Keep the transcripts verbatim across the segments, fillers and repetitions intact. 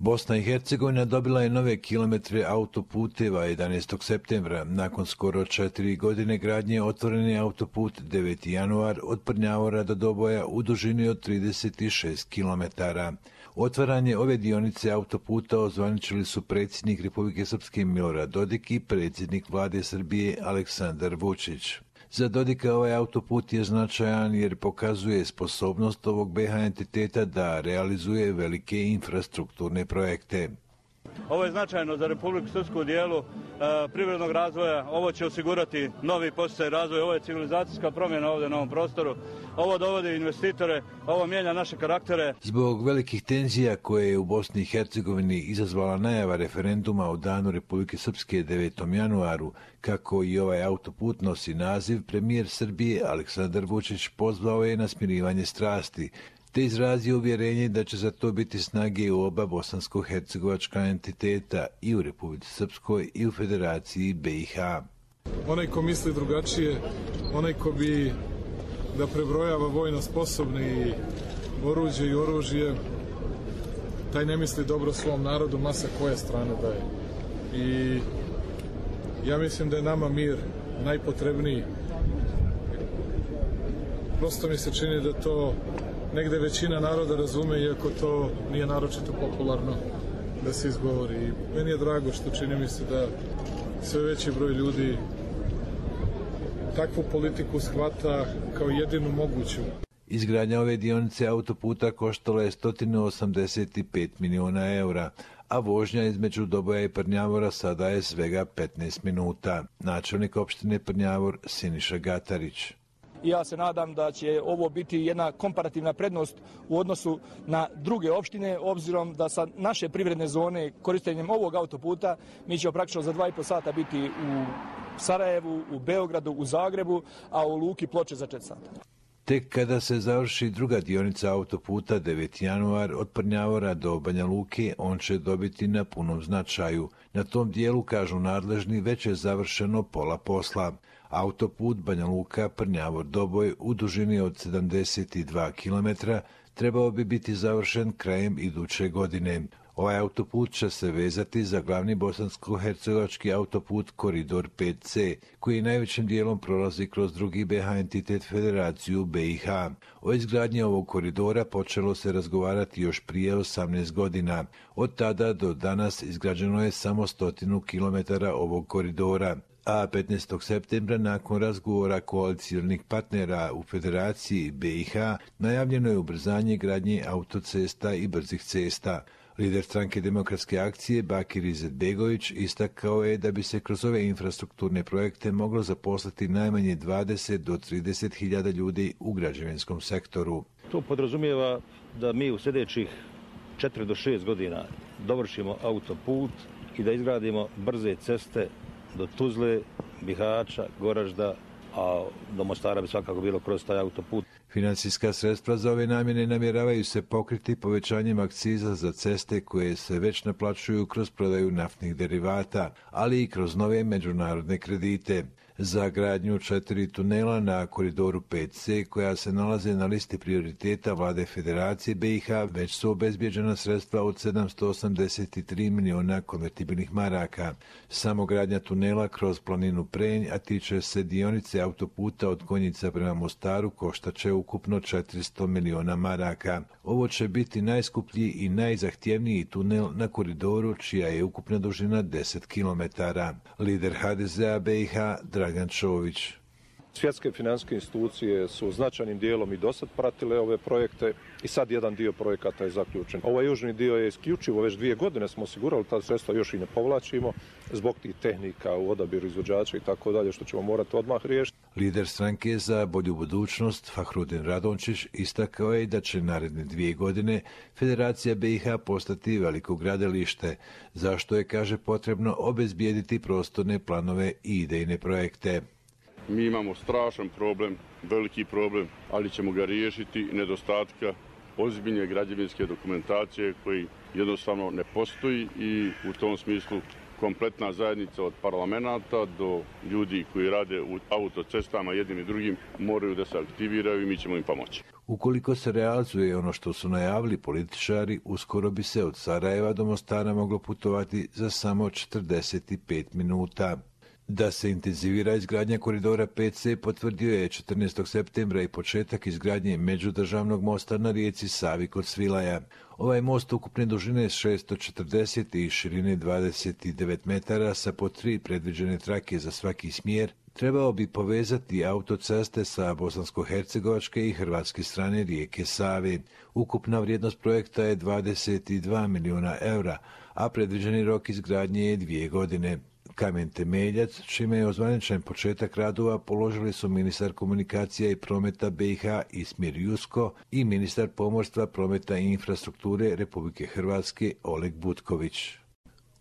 Bosna i Hercegovina dobila je nove kilometre autoputeva jedanaestog septembra. Nakon skoro četiri godine gradnje otvoren je autoput deveti januar od Prnjavora do Doboja u dužini od trideset šest kilometara. Otvaranje ove dionice autoputa ozvaničili su predsjednik Republike Srpske Milorad Dodik i predsjednik vlade Srbije Aleksandar Vučić. Za Dodika ovaj autoput je značajan jer pokazuje sposobnost ovog be ha entiteta da realizuje velike infrastrukturne projekte. Ovo je značajno za Republiku Srpsku u dijelu e, privrednog razvoja. Ovo će osigurati novi podsticaj razvoja. Ovo je civilizacijska promjena ovdje na ovom prostoru. Ovo dovodi investitore, ovo mijenja naše karaktere. Zbog velikih tenzija koje je u Bosni i Hercegovini izazvala najava referenduma o danu Republike Srpske devetom januaru, kako i ovaj autoput nosi naziv, premijer Srbije Aleksandar Vučić pozvao je na smirivanje strasti, te izrazio uvjerenje da će za to biti snage u oba bosansko-hercegovačka entiteta i u Republici Srpskoj i u Federaciji be i ha. Onaj ko misli drugačije, onaj ko bi da prebrojava vojno sposobni i oruđe i oružje, taj ne misli dobro svom narodu, masa koje strane daje. I ja mislim da je nama mir najpotrebniji. Prosto mi se čini da to negde većina naroda razume, iako to nije naročito popularno da se izgovori. I meni je drago što čini mi se da sve veći broj ljudi takvu politiku shvata kao jedinu moguću. Izgradnja ove dionice autoputa koštala je sto osamdeset pet miliona eura, a vožnja između Doboja i Prnjavora sada je svega petnaest minuta. Načelnik opštine Prnjavor Siniša Gatarić. Ja se nadam da će ovo biti jedna komparativna prednost u odnosu na druge opštine, obzirom da sa naše privredne zone korištenjem ovog autoputa mi ćemo praktično za dva i po sata biti u Sarajevu, u Beogradu, u Zagrebu, a u Luki Ploče za četiri sata. Tek kada se završi druga dionica autoputa deveti januar od Prnjavora do Banja Luke, on će dobiti na punom značaju. Na tom dijelu, kažu nadležni, već je završeno pola posla. Autoput Banja Luka Prnjavor Doboj u dužini od sedamdeset dva kilometra trebao bi biti završen krajem iduće godine. Ovaj autoput će se vezati za glavni bosansko-hercegovački autoput Koridor pet ce, koji najvećim dijelom prolazi kroz drugi be ha entitet Federaciju be i ha. O izgradnji ovog koridora počelo se razgovarati još prije osamnaest godina. Od tada do danas izgrađeno je samo stotinu kilometara ovog koridora. A petnaestog septembra, nakon razgovora koalicijalnih partnera u Federaciji be i ha, najavljeno je ubrzanje gradnje autocesta i brzih cesta. Lider stranke Demokratske akcije Bakir Izetbegović istakao je da bi se kroz ove infrastrukturne projekte moglo zaposliti najmanje dvadeset do trideset hiljada ljudi u građevinskom sektoru. To podrazumijeva da mi u sljedećih četiri do šest godina dovršimo autoput i da izgradimo brze ceste do Tuzle, Bihaća, Goražda, a do Mostara bi svakako bilo kroz taj autoput. Financijska sredstva za ove namjene namjeravaju se pokriti povećanjem akciza za ceste koje se već naplaćuju kroz prodaju naftnih derivata, ali i kroz nove međunarodne kredite. Za gradnju četiri tunela na Koridoru pet ce, koja se nalaze na listi prioriteta vlade Federacije be i ha, već su obezbjeđena sredstva od sedamsto osamdeset tri miliona konvertibilnih maraka. Samo gradnja tunela kroz planinu Prenj, a tiče se dionice autoputa od Konjica prema Mostaru, koštaće ukupno četiristo miliona maraka. Ovo će biti najskuplji i najzahtjevniji tunel na koridoru, čija je ukupna dužina deset kilometara. Lider ha de ze a be i ha Dragan Čović. Svjetske financijske institucije su značajnim dijelom i dosad pratile ove projekte i sad jedan dio projekata je zaključen. Ovaj južni dio je isključivo, već dvije godine smo osigurali ta sredstva, još i ne povlačimo zbog tih tehnika u odabiru izvođača i tako dalje, što ćemo morati odmah riješiti. Lider stranke za bolju budućnost Fahrudin Radončić istakao je da će naredne dvije godine Federacija be i ha postati veliko gradilište, zašto je, kaže, potrebno obezbijediti prostorne planove i idejne projekte. Mi imamo strašan problem, veliki problem, ali ćemo ga riješiti nedostatka ozbiljne građevinske dokumentacije koji jednostavno ne postoji i u tom smislu kompletna zajednica od parlamenta do ljudi koji rade u autocestama jednim i drugim moraju da se aktiviraju i mi ćemo im pomoći. Ukoliko se realizuje ono što su najavili političari, uskoro bi se od Sarajeva do Mostara moglo putovati za samo četrdeset pet minuta. Da se intenzivira izgradnja koridora pet ce potvrdio je četrnaestog septembra i početak izgradnje međudržavnog mosta na rijeci Savi kod Svilaja. Ovaj most ukupne dužine šesto četrdeset i širine dvadeset devet metara sa po tri predviđene trake za svaki smjer trebao bi povezati autoceste sa bosansko-hercegovačke i hrvatske strane rijeke Save. Ukupna vrijednost projekta je dvadeset dva milijuna eura, a predviđeni rok izgradnje je dvije godine. Kamen temeljac, čime je ozvaničen početak radova, položili su ministar komunikacija i prometa be i ha Ismir Jusko i ministar pomorstva, prometa i infrastrukture Republike Hrvatske Oleg Butković.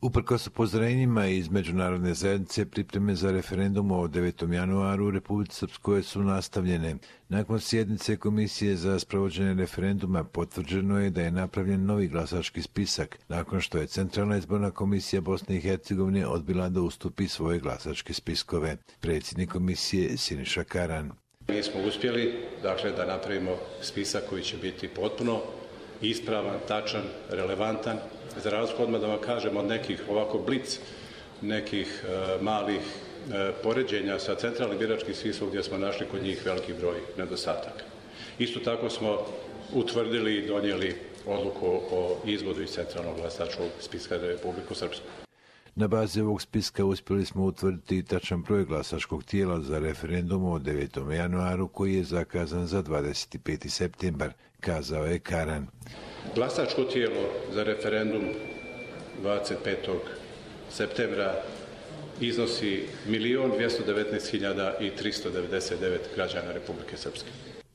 Uprkos upozorenjima iz međunarodne zajednice, pripreme za referendum o devetom januaru u Republici Srpskoj su nastavljene. Nakon sjednice Komisije za sprovođenje referenduma potvrđeno je da je napravljen novi glasački spisak, nakon što je Centralna izborna komisija Bosne i Hercegovine odbila da ustupi svoje glasačke spiskove. Predsjednik komisije Siniša Karan. Mi smo uspjeli, dakle, da napravimo spisak koji će biti potpuno ispravan, tačan, relevantan. Za razliku odmah da vam kažem od nekih ovako blic, nekih e, malih e, poređenja sa centralnim biračkim spiskom gdje smo našli kod njih veliki broj nedostataka. Isto tako smo utvrdili i donijeli odluku o izvodu iz centralnog glasačkog spiska Republike Srpske. Na bazi ovog spiska uspjeli smo utvrditi tačan broj glasačkog tijela za referendum o devetom januaru koji je zakazan za dvadeset peti septembar, kazao je Karan. Glasačko tijelo za referendum dvadeset petog septembra iznosi milion dvjesto devetnaest hiljada tristo devedeset devet građana Republike Srpske.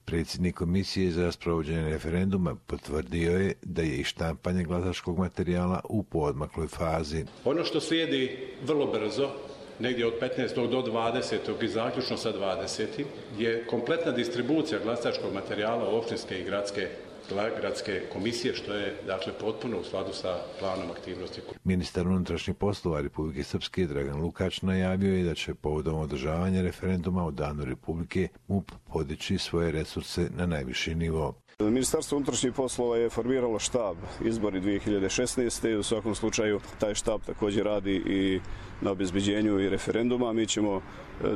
Predsjednik Komisije za sprovođenje referenduma potvrdio je da je i štampanje glasačkog materijala u poodmakloj fazi. Ono što slijedi vrlo brzo, negdje od petnaestog do dvadesetog i zaključno sa dvadesetim je kompletna distribucija glasačkog materijala u općinske i gradske gradske komisije, što je dakle potpuno u skladu sa planom aktivnosti. Ministar unutrašnjih poslova Republike Srpske Dragan Lukač najavio je da će povodom održavanja referenduma o Danu Republike M U P podići svoje resurse na najviši nivo. Ministarstvo unutrašnjih poslova je formiralo štab izbori dvije hiljade šesnaeste. U svakom slučaju taj štab također radi i na obezbeđenju i referenduma. Mi ćemo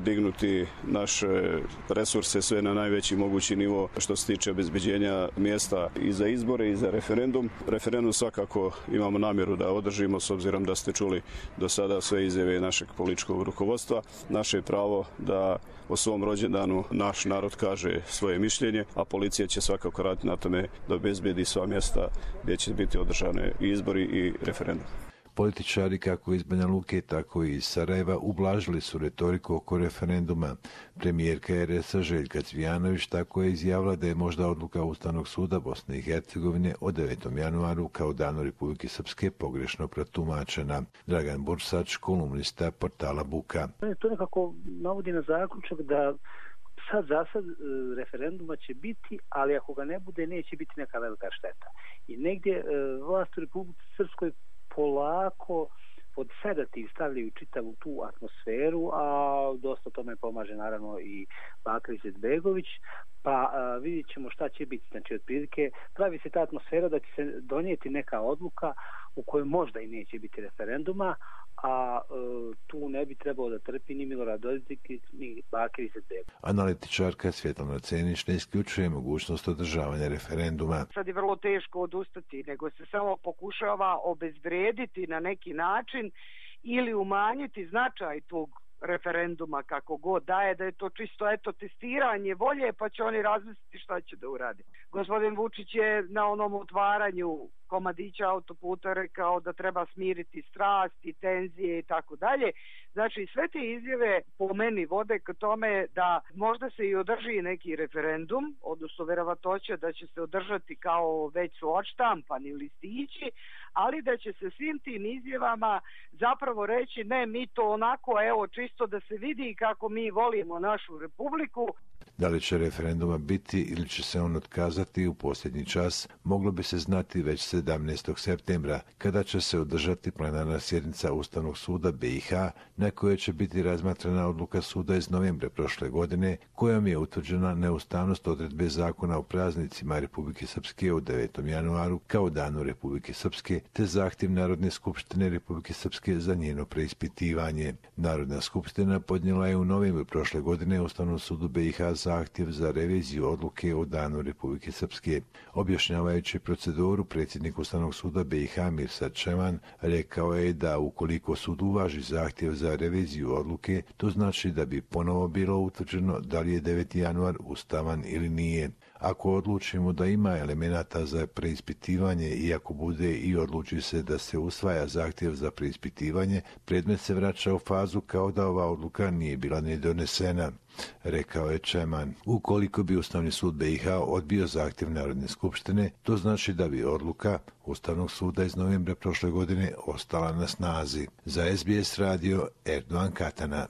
dignuti naše resurse sve na najveći mogući nivo što se tiče obezbeđenja mjesta i za izbore i za referendum. Referendum svakako imamo namjeru da održimo, s obzirom da ste čuli do sada sve izjave našeg političkog rukovodstva. Naše je pravo da o svom rođendanu naš narod kaže svoje mišljenje, a policija će svakako raditi na tome da obezbedi sva mjesta gdje će biti održane i izbori i referendum. Političari kako iz Banja Luke, tako i iz Sarajeva ublažili su retoriku oko referenduma. Premijerka er es a Željka Cvijanović tako je izjavila da je možda odluka Ustavnog suda Bosne i Hercegovine o devetom januaru kao danu Republike Srpske pogrešno protumačena. Dragan Bursač, kolumnista portala Buka. To nekako navodi na zaključak da sad za sad referenduma će biti, ali ako ga ne bude, neće biti neka velika šteta. I negdje vlast u Republike Srpskoj polako pod sedativ stavljaju čitavu tu atmosferu, a dosta tome pomaže naravno i Bakir Izetbegović, pa a, vidjet ćemo šta će biti. Znači, otprilike pravi se ta atmosfera da će se donijeti neka odluka u kojoj možda i neće biti referenduma, a e, tu ne bi trebalo da trpi ni Milorad Dodik ni Bakir Izetbegović. Analitičarka Svjetlana Cenić ne isključuje mogućnost održavanja referenduma. Sad je vrlo teško odustati, nego se samo pokušava obezvrijediti na neki način ili umanjiti značaj tog referenduma kako god daje, da je to čisto eto testiranje volje, pa će oni razmisliti šta će da uradi. Gospodin Vučić je na onom otvaranju komadića autoputa rekao da treba smiriti strasti, tenzije i tako dalje. Znači, sve te izjave po meni vode k tome da možda se i održi neki referendum, odnosno verovatnoća da će se održati kao već su odštampani listići, ali da će se svim tim izjavama zapravo reći ne, mi to onako, evo, čisto da se vidi kako mi volimo našu republiku. Da li će referenduma biti ili će se on otkazati u posljednji čas, moglo bi se znati već sedamnaestog septembra, kada će se održati plenarna sjednica Ustavnog suda B i H, na kojoj će biti razmatrana odluka suda iz novembra prošle godine, kojom je utvrđena neustavnost odredbe zakona o praznicima Republike Srpske u devetom januaru kao danu Republike Srpske, te zahtjev Narodne skupštine Republike Srpske za njeno preispitivanje. Narodna skupština podnijela je u novembru prošle godine Ustavnom sudu B i H zahtjev za reviziju odluke o danu Republike Srpske. Objašnjavajući proceduru, predsjednik Ustavnog suda B i H Mirsad Čeman rekao je da ukoliko sud uvaži zahtjev za reviziju odluke, to znači da bi ponovo bilo utvrđeno da li je deveti januar ustavan ili nije. Ako odlučimo da ima elemenata za preispitivanje i ako bude i odluči se da se usvaja zahtjev za preispitivanje, predmet se vraća u fazu kao da ova odluka nije bila ni donesena, rekao je Čeman. Ukoliko bi Ustavni sud B i H odbio zahtjev Narodne skupštine, to znači da bi odluka Ustavnog suda iz novembra prošle godine ostala na snazi. Za S B S radio Erdogan Katana.